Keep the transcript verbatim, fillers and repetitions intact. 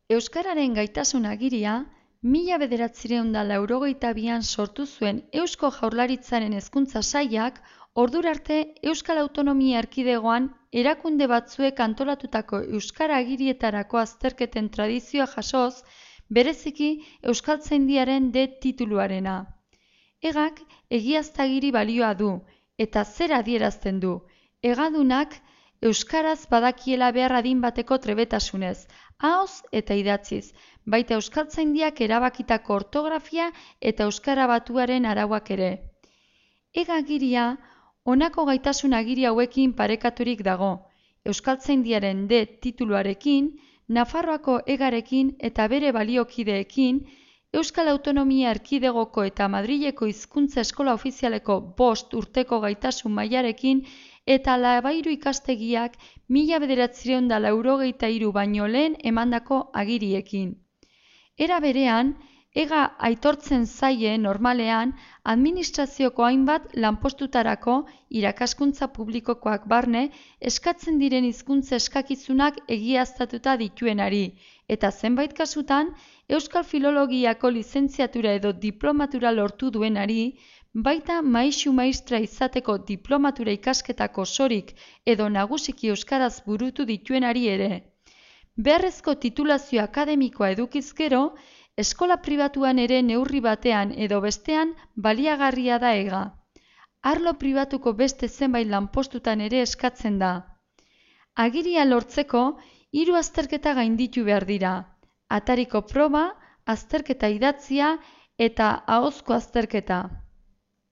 Euskararen gaitasun agiria, mila bederatziehun eta laurogeita bian sortu zuen Eusko Jaurlaritzaren Hezkuntza Sailak, ordura arte Euskal Autonomia Erkidegoan erakunde batzuek antolatutako euskara agirietarako azterketen tradizioa jasoz, bereziki Euskaltzaindiaren D tituluarena. Egak egiaztagiri balioa du, eta zer adierazten du, egadunak euskaraz badakiela behar adin bateko trebetasunez, ahoz eta idatziz, baita Euskaltzaindiak erabakitako ortografia eta euskara batuaren arauak ere. Egagiria, honako gaitasun agiri hauekin parekaturik dago, Euskaltzaindiaren D tituluarekin, Nafarroako egarekin eta bere baliokideekin, Euskal Autonomia Erkidegoko eta Madrileko Hizkuntza Eskola Ofizialeko bost urteko gaitasun mailarekin eta Labairu ikastegiak mila bederatziehun eta laurogeita hiru baino lehen emandako agiriekin. Era berean, ega aitortzen zaie normalean administrazioko hainbat lanpostutarako irakaskuntza publikokoak barne eskatzen diren hizkuntza eskakizunak egiaztatuta dituenari, eta zenbait kasutan Euskal Filologiako lizentziatura edo diplomatura lortu duenari, baita maisu maistra izateko diplomatura ikasketako osorik edo nagusiki euskaraz burutu dituenari ere. Beharrezko titulazio akademikoa edukiz gero, eskola pribatuan ere neurri batean edo bestean baliagarria da ega. Arlo pribatuko beste zenbait lanpostutan ere eskatzen da. Agiria lortzeko, hiru azterketa gainditu behar dira. Atariko proba, azterketa idatzia eta ahozko azterketa.